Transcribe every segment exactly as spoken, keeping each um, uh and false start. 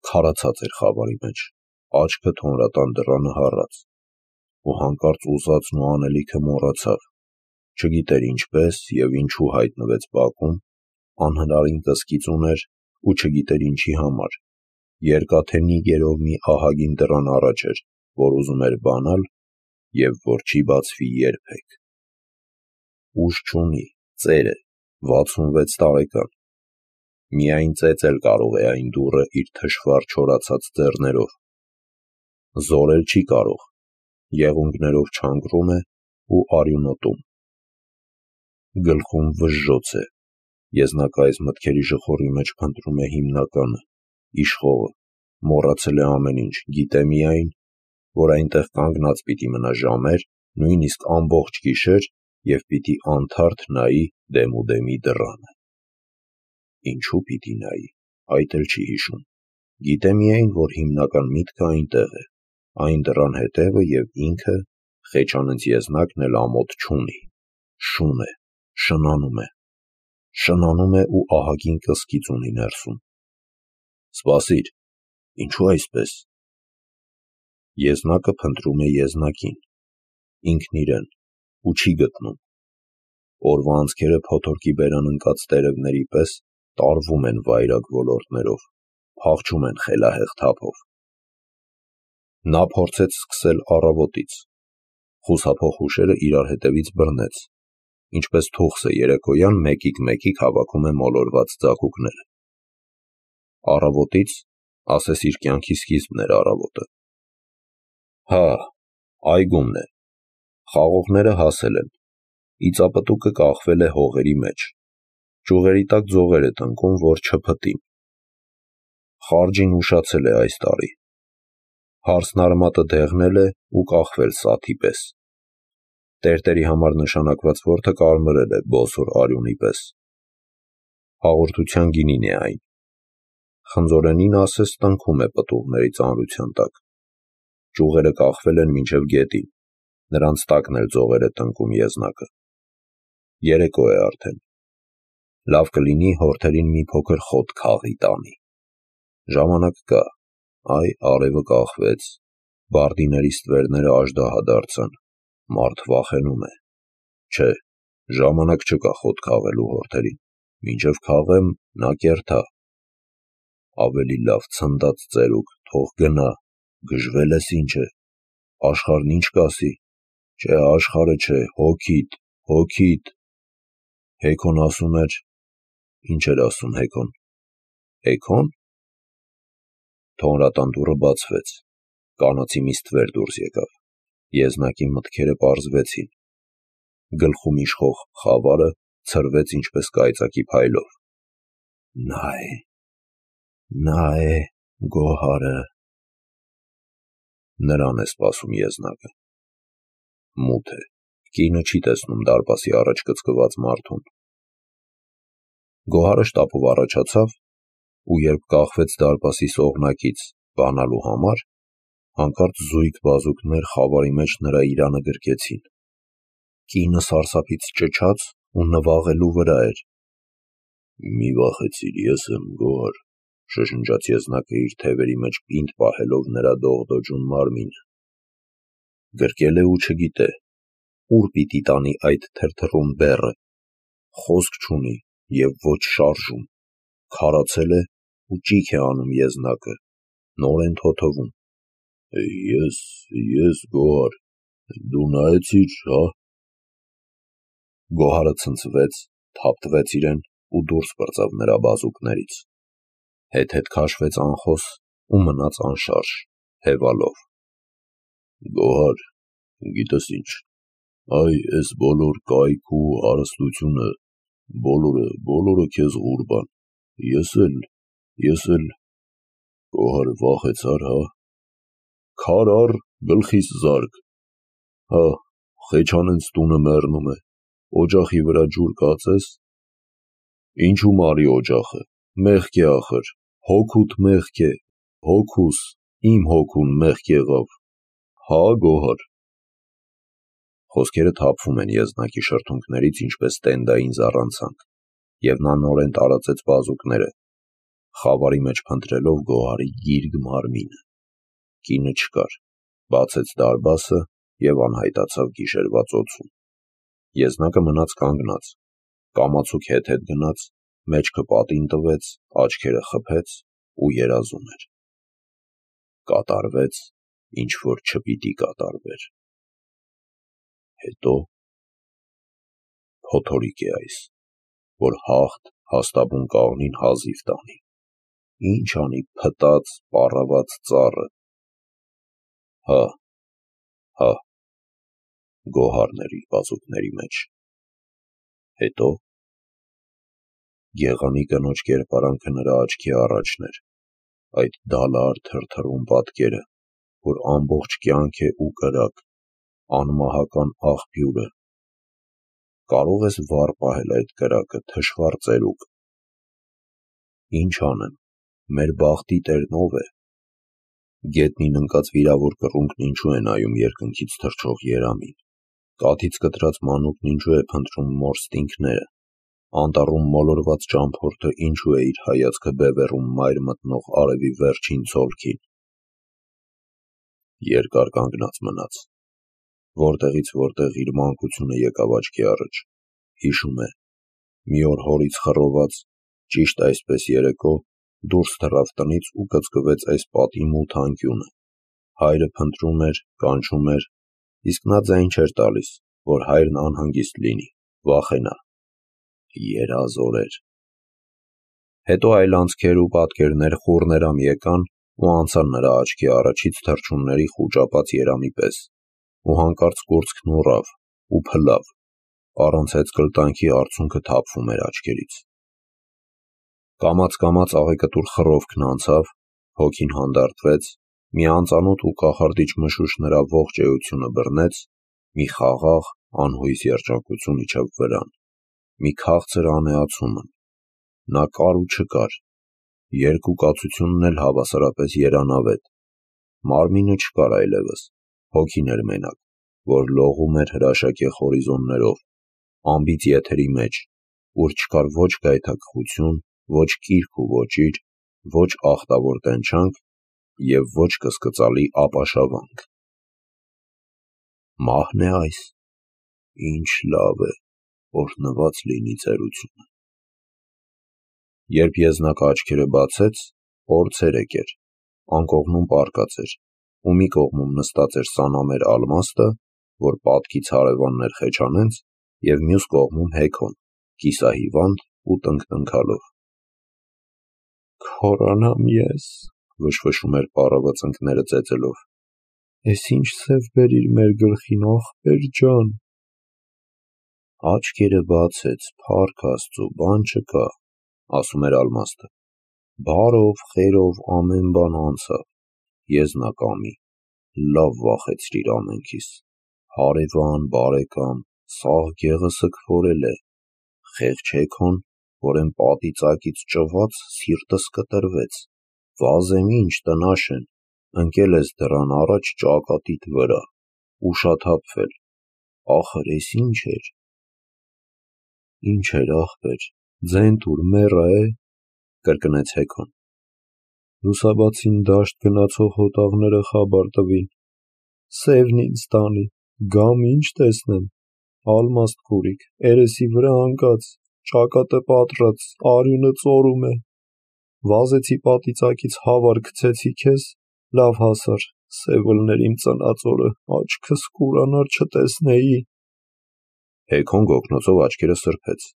քարացած էր խավարի մեջ, աչքը թոնրատան դռանը հառած, ու հանկարծ ուզածն ու անելիքը մոռացավ, չգիտեր ինչպես և ինչու հայտնվեց բակում, անհնարին կսկիծ ուներ ու չգիտեր ինչի համար, երկաթե նիգերով մի ահագին դռան առաջ էր, որ ուզում էր բանալ և որ չի բացվի երբեք։ Ուժ չունի, ծեր է, վաթսունվեց տարեկան, միայն ծեծել կարող է այն դուռը իր թշվառ չորացած ձեռներով, զորել չի կարող, եղունգներով չանկրում է ու արյունոտում։ Գլխում վժժոց է, եզնակայից մտքերի ժխորի մեջ փնտրում է հիմնականը, իշխողը, մոռացել է ամեն ինչ, գիտե միայն, որ այնտեղ կանգնած պիտի մնա ժամեր, նույնիսկ ամբողջ գիշեր և պիտի անթարթ նայի դեմուդեմի դռանը։ Ինչու պիտի նայի, այդ էլ չի հիշում, գիտե միայն, որ հիմնական միտքը այնտեղ է, այն դռան հետևը և ինքը, խեչանենց եզնակն էլ ամոթ չունի, շուն է, շնանում է, շնանում է ու ահագին կսկիծ ունի ներսում։ Սպասիր, ինչու այսպես։ Եզնակը փնտրում է եզնակին, ինքն իրեն, ու չի գտնում։ Օրվա անցքերը փոթորկի բերան ընկած տերևների պես տարվում են վայրագ ոլորտներով, փախչում են խելահեղ թափով։ Նա փորձեց սկսել առավոտից, խուսափող հուշերը իրար հետևից բռնեց, ինչպես թուխսը երեկոյան մեկիկ-մեկիկ հավաքում է մոլորված ձագուկները։ Առավոտից, ասես իր կյանքի սկիզբն էր առավոտը։ Հա, այգումն է, խաղողները հասել են, իծապտուկը կախվել է հողերի մեջ, ճյուղերի տակ ձողեր է տնկում, որ չփտին։ Խարջին ուշացել է այս տարի, հարսնարմատը դեղնել է ու կախվել սաթի պես, տերտերի համար նշանակված որդը կարմրել է բոսոր արյունի պես, հաղորդության գինին է այն, խնձորենին ասես տնքում է պտուղների ծանրության տակ, ճյուղերը կախվել են մինչև գետին, նրանց տակն էլ ձողեր է տնկում եզնակը։ Երեկո է արդեն, լավ կլինի հորթերին մի փոքր խոտ քաղի տանի։ Ժամանակ կա, այ արևը կախվեց, բարդիների ստվերները աժդահադարձան, մարդ վախենում է, չէ, ժամանակ չկա խոտ քաղելու հորթերին, մինչև քաղեմ նա կերթա։ Ավելի լավ ցնդած ծերուկ, թող գնա, գժվել ես ինչ է, աշխարհն ինչ կասի, չէ աշխարհը չէ, հոգիդ, հոգիդ։ Հեքոն ասում էր, ինչ էր ասում Հեքոն, Հեքո՞ն։ Թոնրատան դուռը բացվեց, կանացի մի ստվեր դուրս եկավ, եզնակի մտքերը պարզվեցին, գլխում իշխող խավարը ցրվեց ինչպես կայծակի փայլով։ Նա է, նա է Գոհարը։ Նրան է սպասում եզնակը։ Մութ է, կինը չի տեսնում դարպասի առաջ կծկված մարդուն։ Գոհարը շտապով առաջացավ ու երբ կախվեց դարպասի սողնակից բանալու համար, հանկարծ զույգ բազուկներ խավարի մեջ նրա իրանը գրկեցին։ Կինը սարսափից ճչաց ու նվաղելու վրա էր։ Մի վախեցիր, ես եմ Գոհար, շշնջաց եզնակը իր թևերի մեջ պինդ պահելով նրա դողդոջուն մարմինը։ Գրկել է ու չգիտե, ուր պիտի տանի այդ թրթռուն բեռը, խոսք չունի և ոչ շարժում, քարացել է ու ճիգ է անում եզնակը, նորեն թոթվում։ Ես, ես Գոհար, դու նայեցի՞ր, հա։ Գոհարը ցնցվեց, թափտվեց իրեն ու դուրս պրծավ նրա բազուկներից, հետ-հետ քաշվեց անխոս ու մնաց անշարժ, հևալով։ Գոհար, գիտես ինչ, այ էս բոլոր կայքը ու հարստությունը, բոլորը, բոլորը քեզ ղուրբան, ես էլ, ես էլ, Գոհար վախեցար, հա։ Քար առ, գլխիս զարկ, հա, խեչանենց տունը մեռնում է, օջախի վրա ջուր կածես։ Ինչու մարի օջախը, մեղք է ախր, հոգուդ մեղք է, հոգուս, իմ հոգուն մեղք եղավ, հա Գոհար։ Խոսքերը թափվում են եզնակի շրթունքներից ինչպես տենդային զառանցանք, և նա նորեն տարածեց բազուկները, խավարի մեջ փնտրելով Գոհարի գիրգ մարմինը։ Կինը չկար, բացեց դարբասը և անհայտացավ գիշերվա ծոցում։ Եզնակը մնաց կանգնած, կամացուկ հետ-հետ գնաց, մեջքը պատին տվեց, աչքերը խփեց ու երազում էր։ Կատարվեց, ինչ որ չպիտի կատարվեր։ Հետո փոթորիկ է այս, որ հաղթ հաստաբուն կաղնին հազիվ տանի, ինչ անի փտած, պառաված ծառը։ Հա, հա, Գոհարն էր իր բազուկների մեջ։ Հետո գեղանի կնոջ կերպարանքը նրա աչքի առաջն էր, այդ դալար թրթռուն պատկերը, որ ամբողջ կյանք է ու կրակ, անմահական աղբյուրը։ Կարո՞ղ ես վառ պահել այդ կրակը, թշվառ ծերուկ։ Ինչ անեմ, մեր բախտի տերն ով է։ Գետնին ընկած վիրավոր կռունկն ինչու է նայում երկնքից թռչող երամին, կաթից կտրած մանուկն ինչու է փնտրում մոր ստինգները, անտառում մոլորված ճամփորդը ինչու է իր հայացքը բևեռում մայր մտնող արևի վերջին ցոլքին։ Երկար կանգնած մնաց, որտեղից որտեղ իր մանկությունը եկավ աչքի առաջ, հիշում է, մի օր հորից խռոված, ճիշտ այսպես երեկո, դուրս թռավ տնից ու կծկվեց այս պատի մութ անկյունը, հայրը փնտրում էր, կանչում էր, իսկ նա ձայն չէր տալիս, որ հայրն անհանգիստ լինի, վախենա։ Երազ օրեր։ Հետո այլ անցքեր ու պատկերներ խուռներամ եկան ու անցան նրա աչքի առաջից թռչունների խուճապած երամի պես, ու հանկարծ կուրծքն ուռավ ու փլավ, առանց հեծկլտանքի արցունքը թափվում էր աչքերից։ Կամաց-կամաց աղեկտուր խռովքն անցավ, հոգին հանդարտվեց, մի անծանոթ ու կախարդիչ մշուշ նրա ողջ էությունը բռնեց, մի խաղաղ, անհույս երջանկություն իջավ վրան, մի քաղցր անեացումն։ Նա կար ու չկար, երկու կացությունն էլ հավասարապես երանավետ։ Մարմինը չկար այլևս, հոգին էր մենակ, որ լողում էր հրաշագեղ հորիզոններով, անբիծ եթերի մեջ, ուր չկար ոչ գայթակղություն, ոչ կիրք ու ոճիր, ոչ ախտավոր տենչանք և ոչ կսկծալի ապաշավանք։ Մահն է այս, ինչ լավ է, օրհնված լինի ծերությունը։ Երբ Եզնակը աչքերը բացեց, օր ցերեկ էր, անկողնում պառկած էր, ու մի կողմում նստած էր սանամեր Ալմաստը, որ պատկից հարևանն էր Խեչանենց, և մյուս կողմում Հեքոն, կիսահիվանդ ու տնկտնքալով։ «Քորանամ ես», վշվշում էր պառավը ծնկները ծեծելով, «էս ինչ սև բերիր մեր գլխին, ախպեր ջան»։ Աչքերը բացեց, փառք Աստծու, բան չկա, ասում էր Ալմաստը, բարով, խերով ամեն բան անցավ, Եզնակ ամի, լավ վախեցրիր ամենքիս, հարևան, բարեկամ, սաղ գեղը սգվորել է, խեղճ Հեքոն, որ էն պատի ծակից ճված, սիրտս կտրվեց, վազեմ ինչ տնաշեն, ընկել ես դռան առաջ ճակատիդ վրա, ուշաթափվել, ախր էս ինչ էր։ Ինչ էր ախպեր, ձեն տուր մեռա է, կրկնեց Հեքոն։ Լուսաբացին դաշտ գնացող հոտավները խաբար տվին, սևն ինձ տանի, գամ ինչ տեսնեմ, Ալմաստ քուրիկ, երեսի վրա ընկած, ճակատը պատռած, արյունը ծորում է, վազեցի պատի ծակից հավար գցեցի քեզ, լավ հասար, սև ըլներ իմ ծնած օրը, աչքս կուրանար չտեսնեի։ Հեքոն գոգնոցով աչքերը սրբեց,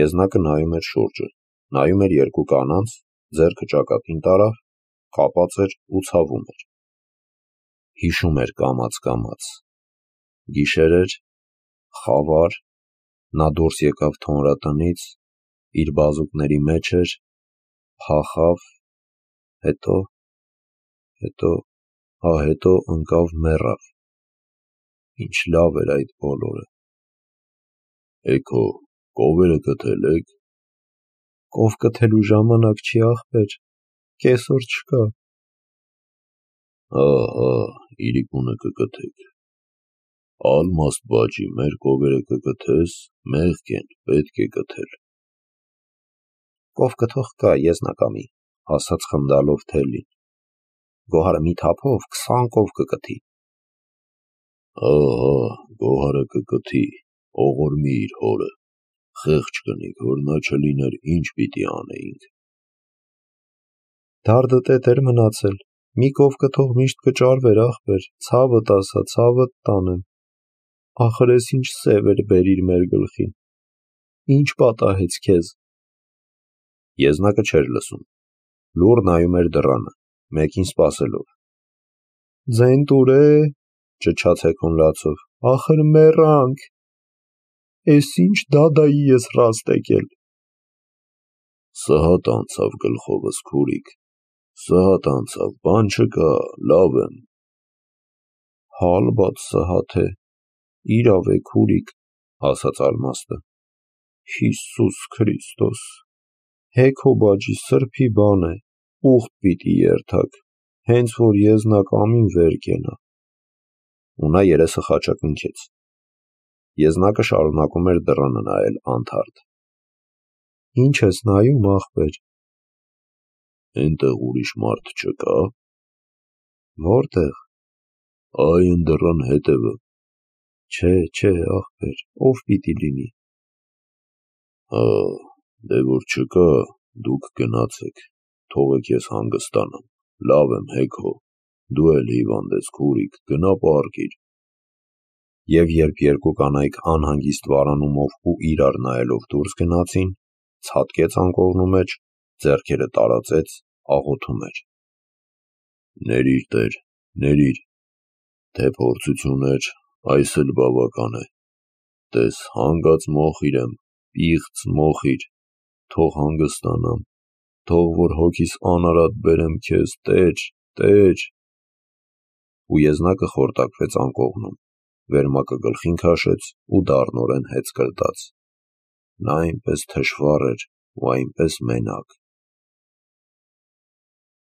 Եզնակը նայում էր շուրջը, նայում էր երկու կանանց, ձեռքը ճակատին տարավ, կապած էր ու ցավում էր։ Հիշում էր կամաց-կամաց։ Գիշեր էր, խավար, նա դուրս եկավ թոնրատնից, իր բազուկների մեջ էր, փախավ, հետո, հետո, հա հետո ընկավ մեռավ։ Ինչ լավ էր այդ բոլորը։ Էգո, կովերը գտել եք։ Կով գտելու ժամանակ չի ախպեր, կեսօր չկա։ Հա, հա, իրիկունը կգտեք։ Ալմաստ բաջի, մեր կովերը կգթես, մեղք են, պետք է գթել։ Կով կթող կա, Եզնակ ամի, ասաց խնդալով Թելին։ Գոհարը մի թափով քսան կով կկթի։ Ահա, Գոհարը կկթի, ողորմի իր հորը, խեղճ կնիկ, որ նա չլիներ, ինչ պիտի անեինք։ Դարդը տետ էր մնացել, մի կով կթող միշտ կճարվեր ախպեր, ցավդ ասա, ցավդ տանեմ, ախր ես ինչ սև էր բերիր մեր գլխին, ինչ պատահեց քեզ։ Եզնակը չէր լսում, լուռ նայում էր դռանը, մեկին սպասելով։ Ձեն տուր է, ճչաց Հեքոն լացով, ախր մեռանք, էս ինչ դադայի ես ռաստ եկել։ Սհատ անցավ գլխովս քուրիկ, սհատ անցավ, բան չկա, լավ եմ։ Հալբադ սհատ է, իրավ է քուրիկ, ասաց Ալմաստը։ Հիսուս Քրիստոս, Հեքո բաջի սրբի բան է, ուխտ պիտի երթակ, հենց որ եզնակ ամին վեր կենա։ Ու նա երեսը խաչակնքեց։ Եզնակը շարունակում էր դռանը նայել անթարթ։ Ինչ ես նայում, ախպեր։ Էնտեղ ուրիշ մարդ չկա։ Որտեղ։ Այ են դռան հետևը։ Չէ, չէ, ախպեր, ով պիտի լինի։ Հա, դե որ չկա, դուք գնացեք, թողեք ես հանգստանամ, լավ եմ Հեքո, դու էլ հիվանդ ես քուրիկ, գնա պառկիր։ Եվ երբ երկու կանայք անհանգիստ վարանումով ու իրար նայելով դուրս գնացին, ցատկեց անկողնու մեջ, ձեռքերը տարածեց, աղոթում էր. Ներիր Տեր, ներիր, թե փորձություն էր, այս էլ բավական է, տես հանգած մոխիր եմ, պիղծ մոխիր, թող հանգստանամ, թող որ հոգիս անարատ բերեմ քեզ, Տեր, Տեր։ Ու եզնակը խորտակվեց անկողնում, վերմակը գլխին քաշեց ու դառնորեն հեծ կրտաց։ Նա այնպես թշվառ էր ու այնպես մենակ։